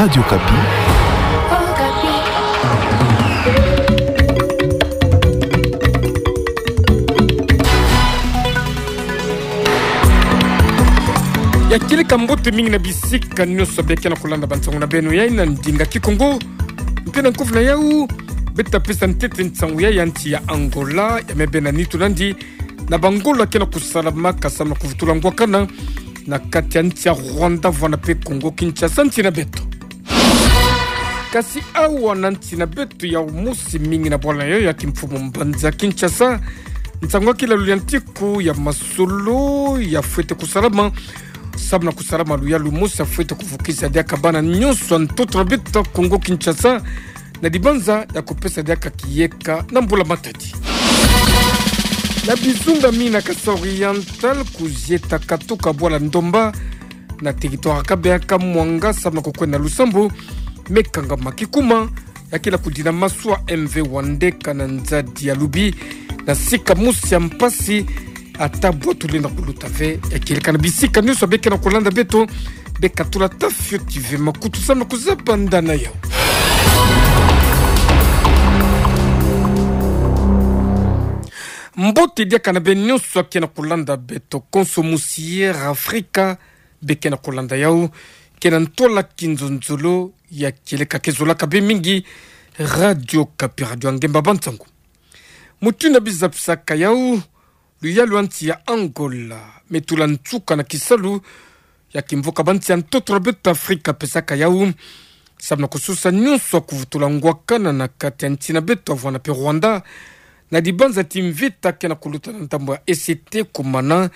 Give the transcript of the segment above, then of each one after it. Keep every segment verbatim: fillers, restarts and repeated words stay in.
Radio Okapi. Ya kieleka mbote mingi na bisika nyonso beke na kolanda bansango na beno ya na ndinga Kikongo. Mpe na nkovu na yau, beta pesa ntete nsango ya nsi ya Angola, ya me bena nitu nandi, na bangolo ya ke na kosalamaka samu na kovutula ngwakana na kati ya nsi ya Rwanda, vwanda mpe Congo Kinshasa, nsi na beto. Kasi awa na nsi na beto ya mosi mingi na bwala na yau ya kimfumu mbanza Kinshasa, nsango ya kilalu ya ntiku ya masolo ya fwete kosalama, samu na kosalama luyalu mosi ya fwete kovukisa diaka bana nyonso ya ntoto na beto Congo Kinshasa, na dibanza ya kopesa diaka kiyeka na mbula matadi. Na bizunga mingi na Kasaï Oriental, kuzieta katuka bwala Ndomba, na territoire ya Kabeya Kamwanga, samu na kokwenda lusambu, me kangama kikuma, ya ke na kudina masu ya M V Wandeka na nzadi ya Lubi, na sika mosi ya mpasi, ata bwa tulenda kuluta ve, ya kieleka na bisika nyonso beke na kolanda beto, beka tula ta fioti ve makutu samu na kuzaba nda na yau. Mbote diaka na beno nyonso ya ke na kolanda beto, konso musi ya Afrika, beke na kolanda yau, ke na ntwala kinzonzolo ya kieleka ke zolaka be mingi, Radio Okapi, radio ya ngemba bansango. Mutindu biza pisaka yau, luyalu ya nsi ya Angola, me tula nsuka na kisalu ya kimvuka bansi ya ntoto na beto Afrika pesaka yau, samu na kosusa nyonso ya kuvutula ngwakana na kati ya nsi na beto vwanda mpe Rwanda, na dibanza ti mvita ke na kuluta na ndambo ya E C T, kumana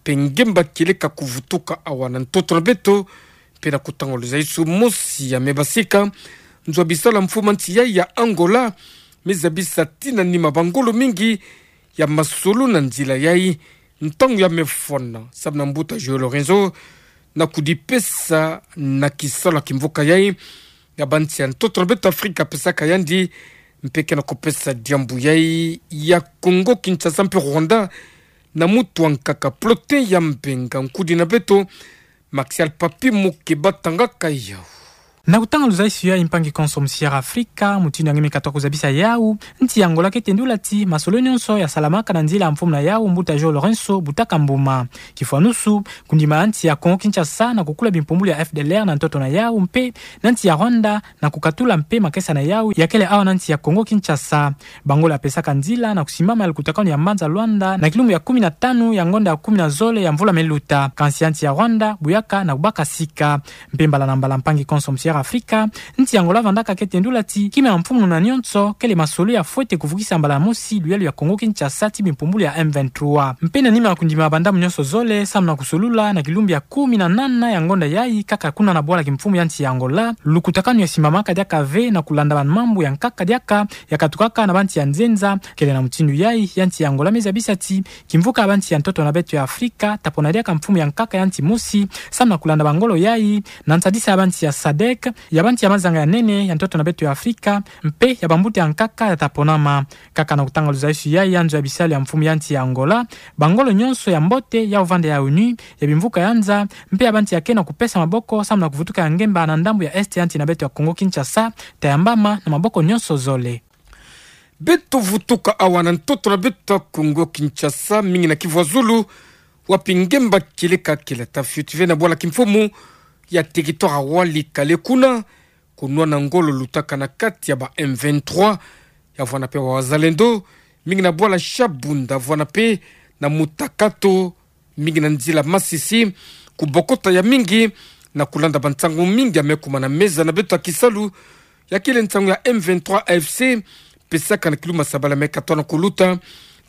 mpe ngemba kieleka kuvutuka awa na ntoto na beto, mpe na kotanga luzaisu mosi ya me basika nzo ya bisalu ya mfumu ya nsi yai ya Angola, me zabisa tina nima bangolo mingi ya masolo na nzila yai, ntangu ya me fwana, samu na mbuta João Lourenço, na kudipesa na kisalu ya kimvuka yai, ya bansi ya ntoto na beto Afrika pesaka yandi, mpe ke na kopesa diambu yai ya Congo Kinshasa mpe Rwanda, na mutu ya nkaka Plotin ya Mbenga, nkudi na beto, Maxial Papi Mukeba tangaka yau. Na kotanga luzaisu yai, mpangi konso musi ya Afrika, mutindu nge me katuka kuzabisa yau, nsi ya Angola ke tendula ti masolo nyonso ya salamaka na nzila ya mfumu na yau, mbuta João Lourenço Butaka Mbuma. Kifwanusu, kondima nsi ya Congo Kinshasa na kokula bimpumbulu ya F D L R na ntoto na yau, mpe na nsi ya Rwanda na kokatula mpe makesa na yau ya kele awa na nsi ya Congo Kinshasa. Bangolo ya pesaka nzila na kosimbama ya lukutakanu ya mbanza Luanda na kilumbu ya kumi na tanu ya ngonda ya kumi na zole ya mvula me luta. Kansi ya nsi ya Rwanda buyaka na kubaka sika. Mpe mbala na mbala, mpangi konso musi ya Afrika, nsi ya Angola vandaka ke tendula ti kima ya mfumu na nyonso kele masolo ya fwete kuvukisa mbala mosi luyalu ya Congo Kinshasa ti bimpumbulu ya M vingt-trois. Mpe na nima ya kondima bandambu nyonso zole, samu na kosolula na kilumbu ya kumi na nana ya ngonda yai, kaka kuna na bwala kimfumu ya nsi ya Angola, lukutakanu ya simbamaka diaka ve na kolanda bamambu ya nkaka diaka ya katukaka na bansi ya nzenza. Kele na mutindu yai, ya nsi ya Angola me zabisa ti kimvuka ya bansi ya ntoto na beto ya Afrika ta pona diaka mfumu ya nkaka ya nsi mosi, samu na kolanda bangolo yai, na nsadisa ya bansi ya sadec, ya bansi ya mazanga ya nene ya ntoto na beto ya Afrika, mpe ya bambuta ya nkaka ya ta ponama. Kaka na kotanga luzaisu yai ya nzo ya bisalu ya mfumu ya nsi ya Angola, bangolo nyonso ya mbote ya vanda ya ONU, ya bimvuka ya nza, mpe ya bansi ya ke na kopesa maboko samu na kovutuka ya ngemba na ndambu ya est ya nsi na beto ya Congo Kinshasa, ta yambama na maboko nyonso zole. Beto vutuka awa na ntoto na beto Congo Kinshasa, mingi na Kivu ya Zulu, wapi ngemba kieleka kele ta fioti ve na bwala kimfumu ya territoire ya Walikale, kuna ko nwana ngolo lutaka na kati ya ba M vingt-trois, ya vwanda mpe ba wazalendo, mingi na bwala Shabunda, vwanda mpe na Mutakato, mingi na nzila Masisi, kobokota ya mingi, na kolanda bansango mingi ya me kuma na meza na beto ya kisalu, ya kele nsango ya M vingt-trois A F C, pesaka na kilumbu ya sabala me katoa na koluta,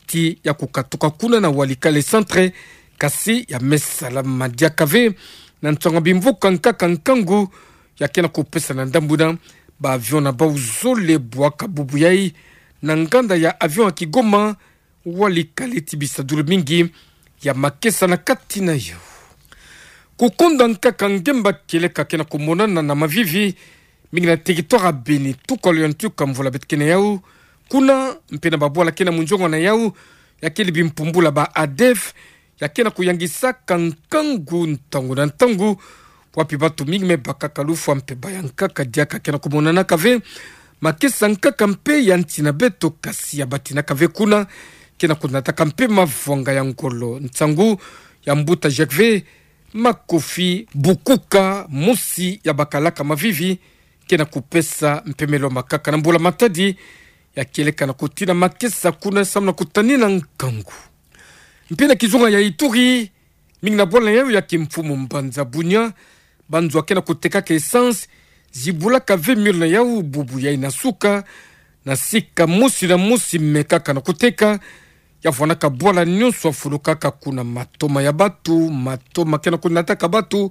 ti ya kokatuka kuna na Walikale centre, kasi ya me salama diaka ve, na nsango ya bimvuka nkaka nkangu, ya ke na kopesa na ndambu na ba avion na bau zole bwaka bubu yai, na nganda ya avion ya Kigoma, Walikale ti bisadulu mingi ya makesa na kati na yau. Kokonda nkaka ngemba kieleka ke na komonana na mavivi, mingi na territoire ya Beni, tuka lo ya ntuka mvula beto ke na yau, kuna mpe na babwala ke na munzongo na yau, ya kele bimpumbulu ya ba ADF, ya ke na koyangisaka nkangu ntangu na ntangu, wapi batu mingi me bakaka lufwa mpe baya nkaka diaka ke na kumonanaka ve, makesa nkaka mpe ya nti na beto kasi ya batinaka ve kuna, ke na kunataka mpe mavwanga ya ngolo nsangu ya mbuta Jacques ve, makofi, bukuka, mosi ya bakalaka mavivi, ke na kupesa mpemelo makaka na mbula Matadi, ya kieleka na kutina makesa kuna samu na kutanina nkangu. Mpe na kizunga ya Ituri, mingi na bwala yau ya kimfumu mbanza Bunia, banzo ya ke na kutekaka essence, zibulaka ve miole na yau bubu yai na suka, na sika mosi na mosi mekaka na kuteka, ya vwanaka bwala nyonso ya fulukaka kuna, matoma ya batu, matoma ke na kunataka batu,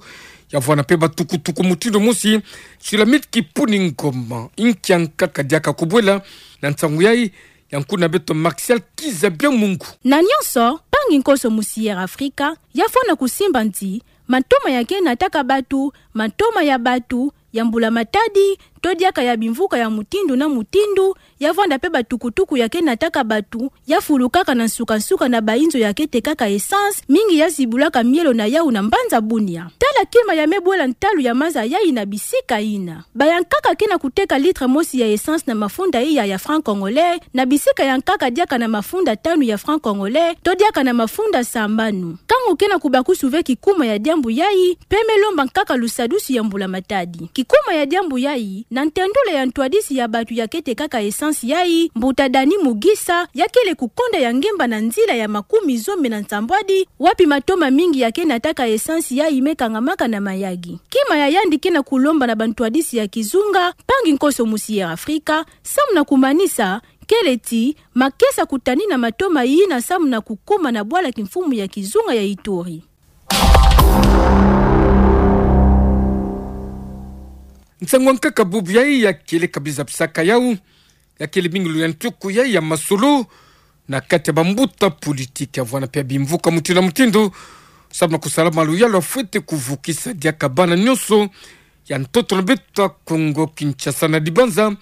ya vwana mpe batukutuku mutindu mosi. Sulamit Kipuni Ngoma, inkia nkaka diaka kubwela na nsangu yai, ya nkuna beto Martial Kizabia Mungu. Na nyonso, mpangi nkonso mu Sierra Africa, ya fwana kusimba nti, matoma ya ke nataka batu, matoma ya batu, ya mbula Matadi, to diaka ya bimvuka ya mutindu na mutindu, ya vwanda mpe batukutuku ya ke nataka batu, ya fulukaka na nsuka-nsuka na bainzo ya ke tekaka essence, mingi ya zibulaka mielo na yau na mbanza Bunia. Tala kima ya me bwela ntalu ya maza yai na bisika yina. Baya nkaka ke na kuteka litre mosi ya essence na mafunda iya ya franc congolais, na bisika ya nkaka diaka na mafunda tanu ya franc congolais, to diaka na mafunda sambanu. Nkangu ke na kubakusu ve kikuma ya diambu yai, mpe me lomba nkaka lusadusu ya mbula Matadi. Kikuma ya diambu yai, na ntendula ya ntwadisi ya batu ya ke tekaka essence yai, mbuta Dani Mugisa, ya kele kukonda ya ngemba na nzila ya makumi zome na nsambwadi, wapi matoma mingi ya ke nataka essence yai me kangamaka na mayagi. Kima ya yandi ke na kulomba na bantwadisi ya kizunga, mpangi nkonso mu Sierra Africa, samu na kumanisa, kele ti, makesa kutanina matoma yina samu na kukuma na bwala kimfumu ya kizunga ya Ituri. Nsangu ya nkaka bubu yai ya kieleka biza bisaka yau, ya kele bingulu ya ntuku yai ya masolo, na kati ya bambuta politiki ya vwana mpe ya bimvuka mutindu na mutindu, samu na kusala maluyalu ya fwete kuvukisa diaka bana nyonso ya ntoto na beto ya Kongo Kinshasa na dibanza,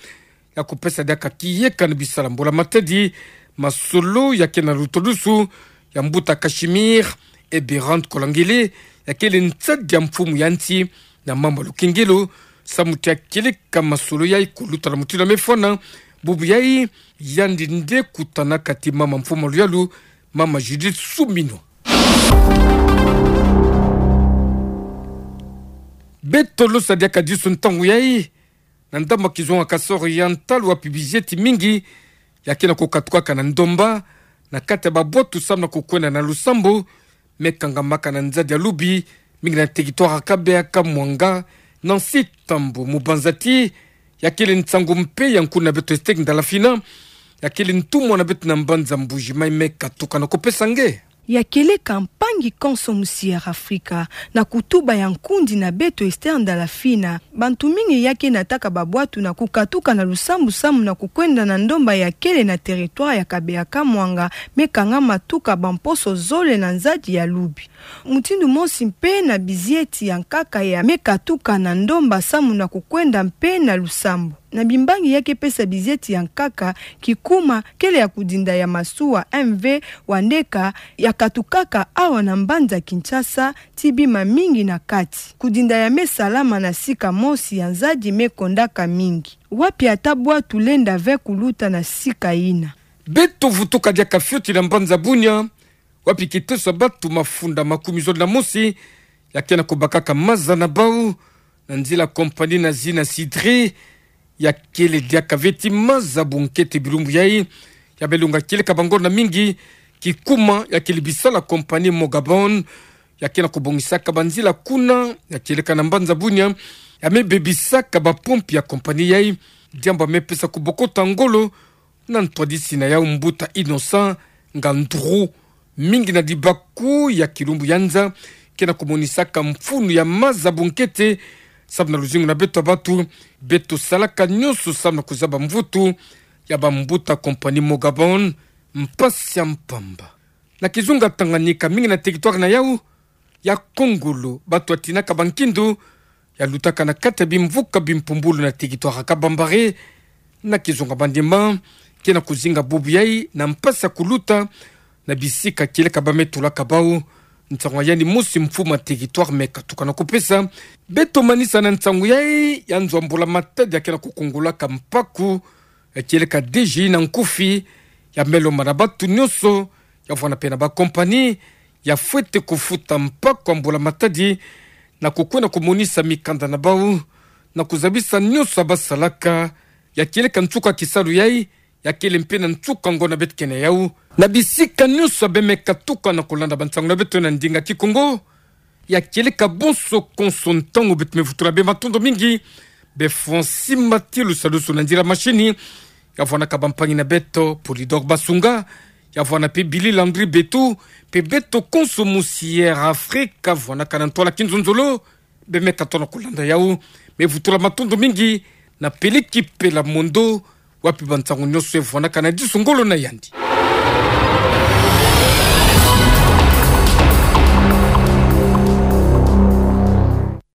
ya kupesa diaka kiyeka na bisala mbula Matadi, masolo ya ke na lutodusu ya mbuta Casimir Eberhard Kolangele, ya kele nsadi ya mfumu ya nsi na mama Lukengelo, samu ti ya kieleka masolo yai kuluta na mutindu ya me fwana, bubu yai, yandi nde kutanaka ti mama mfumu maluyalu, mama Judith Suminwa. Beto losa diaka disu ntangu yai, na ndambu ya kizunga kasoro ya ntalu wapi bizieti mingi ya ke na kukatukaka na ndomba, na kati ya babwatu samu na kukwenda na lusambu, me kangamaka na nzadi ya Lubi, mingi na territoire ya Kabeya Kamwanga, na nsi Tambo, mubanza ti ya kele nsangu mpe ya nkuna beto Esther Ndalafina, ya kele ntumwa na beto na mbanza Mbuji-Mayi, me katuka na kupesa nge. Ya kieleka mpangi konso mu Sierra Africa, na kutuba ya nkundi na beto Esther Ndalafina, bantu mingi ya ke nataka babwatu na kukatuka na lusambu samu na kukwenda na ndomba ya kele na territoire ya Kabeya Kamwanga, me kangama tuka bamposo zole na nzadi ya Lubi. Mutindu mosi mpe na bizieti ya nkaka ya me katuka na ndomba samu na kukwenda mpe na lusambu. Na bimbangi ya ke pesa bizieti ya nkaka, kikuma kele ya kudinda ya masuwa M V Wandeka ya katukaka awa na mbanza Kinshasa, ti bima mingi na kati. Kudinda ya me salama na sika mosi ya nzadi me kondaka mingi, wapi ata bwatu lenda ve kuluta na sika yina. Beto vutuka diaka fioti na mbanza Bunia, wapi kiteso ya batu mafunda makumi zole na mosi ya ke na kubakaka maza na bau, na nzila compagnie na zina Sidri, ya kele diaka ve ti maza bunkete bilumbu yai, ya me longa kieleka bangolo na mingi, kikuma ya kele bisala compagnie Mogabon, ya ke na kubongisaka banzila kuna, ya kieleka na mbanza Bunia, ya me bebisaka bapompe ya compagnie yai, diambu ya me pesa kubokota ngolo, na ntwadisi na yau mbuta Innocent Ngandru, mingi na dibaku ya kilumbu ya nza, ke na kumonisaka mfunu ya maza bunkete, samu na luzingu na beto ya batu, beto salaka nyonso samu na kuzaba mvutu ya bambuta compagnie Mogabon, mpasi ya mpamba. Na kizunga Tanganyika, mingi na territoire na yau ya Kongolo, batu ya tinaka bankindu, ya lutaka na kati ya bimvuka bimpumbulu na territoire ya Kabambare, na kizunga Maniema, ke na kuzinga bubu yai na mpasi ya kuluta na bisika kieleka ba me tulaka bau, nsangu ya yandi mosi mfuma territoire me katuka na kupesa beto manisa na nsangu yai ya nzo ya mbula matadi ya kena kukungulaka mpaku, ya kieleka D G na nkufi, ya melo mana batu nyonso, ya vwanda mpe na ba compagnie, ya fwete kufuta mpaku ya mbula matadi, na kukwenda kumonisa mikanda na bau, na kuzabisa nyonso ya basalaka, ya kieleka nsuka kisalu yai, ya kele mpe na nsuka ngonda beto ke na yau. Na bisika nyonso ya bemeka tuka na kulanda bansangu na beto na ndinga kikongo, ya kieleka bonso konso ntangu beto me vutula bematondo mingi, be Francis Matilu Salusu na nzila mashini, ya vwanaka bampangi na beto, Polydor Basunga, ya vwana mpe Billy Landry Betu, mpe beto konso musi Air Afrique, ya vwanaka na ntwala kinzonzolo, bemeka tona kulanda yau, me vutula matondo mingi na Peliki Pelamondo, wapi bansangu nyonso e vwanaka na disu ngolo na yandi.